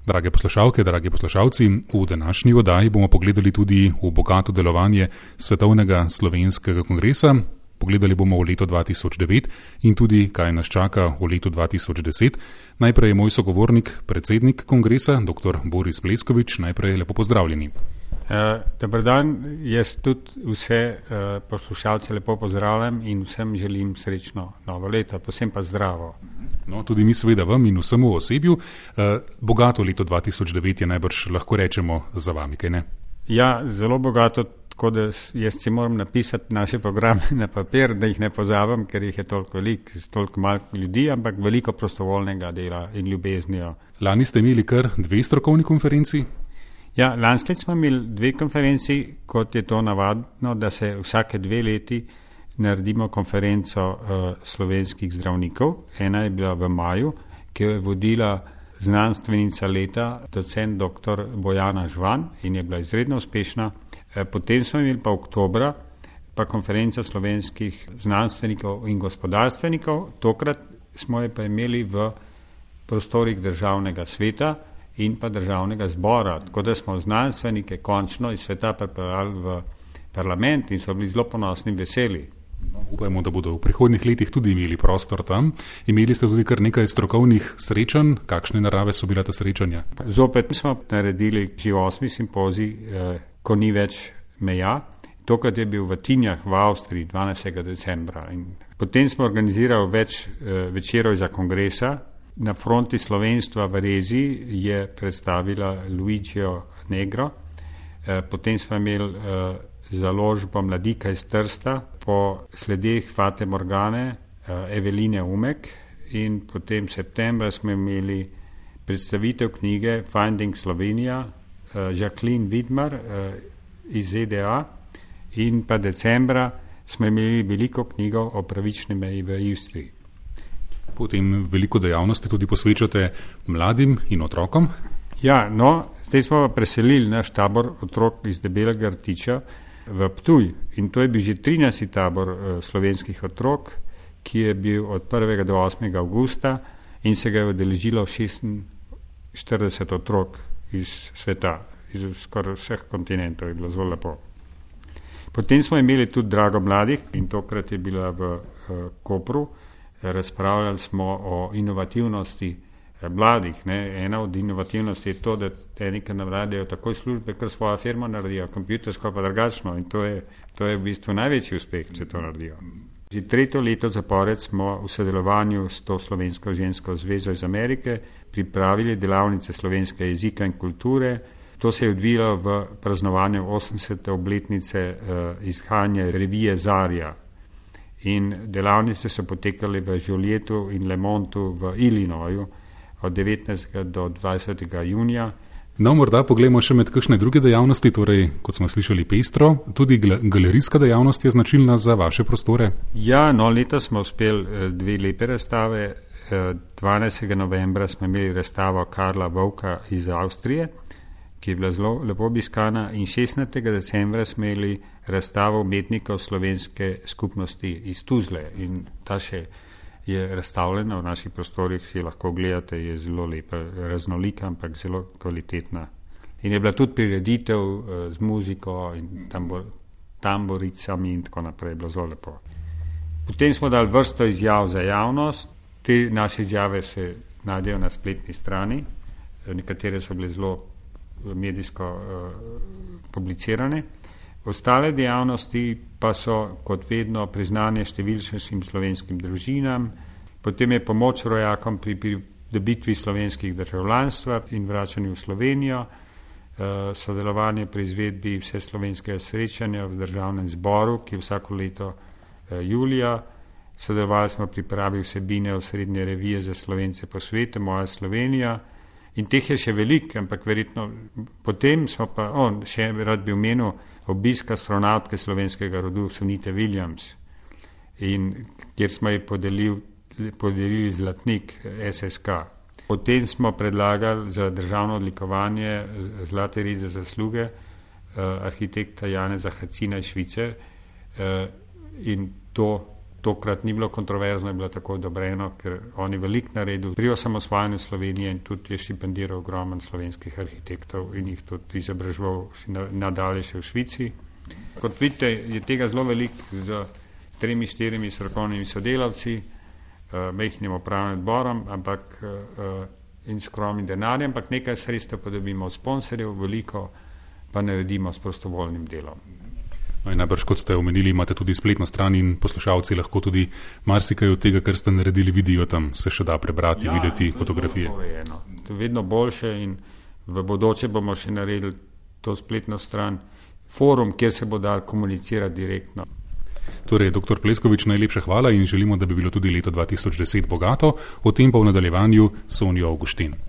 Drage poslušalke, dragi poslušalci, v današnji oddaji bomo pogledali tudi v bogato delovanje Svetovnega slovenskega kongresa. Pogledali bomo v leto 2009 in tudi, kaj nas čaka v letu 2010. Najprej je moj sogovornik, predsednik kongresa, dr. Boris Pleskovič. Najprej lepo pozdravljeni. Dobar dan, jaz tudi vse poslušalce lepo pozdravljam in vsem želim srečno novo leto, posebej pa zdravo. No, tudi mi seveda vam in vsemu osebju. Bogato leto 2009 je najbrž lahko rečemo za vami, kaj ne? Ja, zelo bogato, tako da jaz si moram napisati naše programe na papir, da jih ne pozabim, ker jih je toliko veliko, toliko malo ljudi, ampak veliko prostovoljnega dela in ljubeznijo. Lani ste imeli kar 2 strokovni konferenci? Ja, lansko smo imeli 2 konferenci, kot je to navadno, da se vsake 2 leti naredimo konferenco slovenskih zdravnikov. Ena je bila v maju, ki jo je vodila znanstvenica leta, docent dr. Bojana Žvan in je bila izredno uspešna. Potem smo imeli pa oktobra pa konferenco slovenskih znanstvenikov in gospodarstvenikov. Tokrat smo jo pa imeli v prostorih državnega sveta in pa državnega zbora, tako da smo znanstvenike končno iz sveta pripeljali v parlament in so bili zelo ponosni in veseli. Upajmo, da bodo v prihodnjih letih tudi imeli prostor tam. Imeli ste tudi kar nekaj strokovnih srečanj. Kakšne narave so bila ta srečanja? Zopet smo naredili že 8. simpozij, ko ni več meja. Tokrat je bil v Tinjah v Avstriji 12. decembra. In potem smo organizirali več večerov za kongresa. Na fronti slovenstva v Rezi je predstavila Luigio Negro. Potem smo imeli založbo Mladika iz Trsta po sledeh Fate Morgane, Eveline Umek, in potem septembra smo imeli predstavitev knjige Finding Slovenia, Jacqueline Vidmar iz ZDA, in pa decembra smo imeli veliko knjigo o pravični meji v Avstriji. Potem veliko dejavnosti tudi posvečate mladim in otrokom? Ja, no, zdaj smo preselili naš tabor otrok iz Debelega Rtiča v Ptuj in to je bil že 13. tabor slovenskih otrok, ki je bil od 1. do 8. avgusta in se ga je udeležilo 46 otrok iz sveta, iz skoraj vseh kontinentov, je bilo zelo lepo. Potem smo imeli tudi Drago mladih in tokrat je bila v Kopru. Razpravljali smo o inovativnosti mladih. Ena od inovativnosti je to, da eni, ki navladajo takoj službe, kar svojo firmo naredijo, kompjutersko pa drugačno, in to je v bistvu največji uspeh, če to naredijo. Že 3. leto zapored smo v sodelovanju s to Slovensko žensko zvezo iz Amerike pripravili delavnice slovenskega jezika in kulture. To se je odvijalo v praznovanju 80. obletnice izhajanja revije Zarja. In delavnice so potekale v Jolietu in Lemontu v Illinoisu od 19. do 20. junija. No, morda pogledamo še med kakšne druge dejavnosti, torej, kot smo slišali, pestro. Tudi galerijska dejavnost je značilna za vaše prostore? Ja, no, letos smo uspeli 2 lepe razstave. 12. novembra smo imeli razstavo Karla Vovka iz Avstrije, ki je bila zelo lepo obiskana, in 16. decembra smo imeli razstavo umetnikov slovenske skupnosti iz Tuzle in ta še je razstavljena v naših prostorih, si lahko gledate, je zelo lepa, raznolika, ampak zelo kvalitetna. In je bila tudi prireditev z muziko in tamboricami in tako naprej, bilo zelo lepo. Potem smo dali vrsto izjav za javnost. Te naše izjave se najdejo na spletni strani, nekatere so bile zelo medijsko publicirane. Ostale dejavnosti pa so, kot vedno, priznanje številčnejšim slovenskim družinam, potem je pomoč rojakom pri pridobitvi slovenskih državljanstva in vračanju v Slovenijo, sodelovanje pri izvedbi vseslovenskega srečanja v državnem zboru, ki vsako leto julija. Sodelovali smo pri pripravi vsebine osrednje revije za Slovence po svetu, Moja Slovenija, in teh je še veliko, ampak verjetno potem smo pa, še rad bi omenil obisk astronautke slovenskega rodu Sunite Williams, in kjer smo ji podelili zlatnik SSK. Potem smo predlagali za državno odlikovanje Zlate red za zasluge arhitekta Janeza Hacina iz Švice, in to tokrat ni bilo kontroverzno, je bilo tako odobreno, ker on je veliko naredil pri osamosvajanju Slovenije in tudi je štipendiral ogromen slovenskih arhitektov in jih tudi izobraževal nadalje še v Švici. Kot vidite, je tega zelo veliko z 3-4 strokovnimi sodelavci, majhnim upravnim odborom, ampak in skromnim denarjem, ampak nekaj sredstev pa dobimo od sponsorjev, veliko pa naredimo s prostovoljnim delom. No in najbrž, kot ste omenili, imate tudi spletno stran in poslušalci lahko tudi marsikaj od tega, kar ste naredili, vidijo tam, se še da prebrati, videti fotografije. To je vedno boljše in v bodoče bomo še naredili to spletno stran, forum, kjer se bo dal komunicirati direktno. Torej, dr. Pleskovič, najlepša hvala in želimo, da bi bilo tudi leto 2010 bogato, o tem pa v nadaljevanju Sonjo Avguštin.